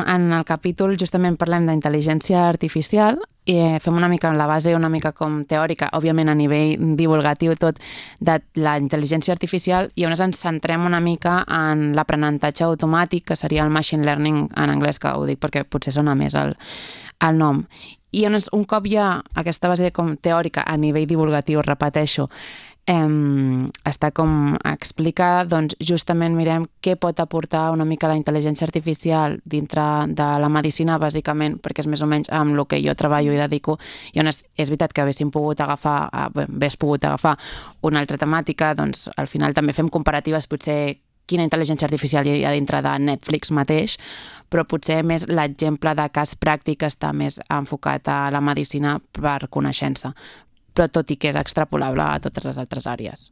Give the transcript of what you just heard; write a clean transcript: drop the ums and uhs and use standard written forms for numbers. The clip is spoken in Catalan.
en el capítol justament parlem d'intel·ligència artificial i fem una mica la base, una mica com teòrica, òbviament a nivell divulgatiu tot, de la intel·ligència artificial, i on ens centrem una mica en l'aprenentatge automàtic, que seria el machine learning en anglès, que ho dic perquè potser sona més el nom. I un cop hi ha aquesta base com teòrica a nivell divulgatiu, repeteixo, està com explicada, doncs justament mirem què pot aportar una mica la intel·ligència artificial dintre de la medicina, bàsicament, perquè és més o menys amb el que jo treballo i dedico, i on és veritat que hagués pogut agafar una altra temàtica, doncs al final també fem comparatives, potser quina intel·ligència artificial hi ha dintre de Netflix mateix, però potser més l'exemple de cas pràctic està més enfocat a la medicina per coneixença, però tot i que és extrapolable a totes les altres àrees.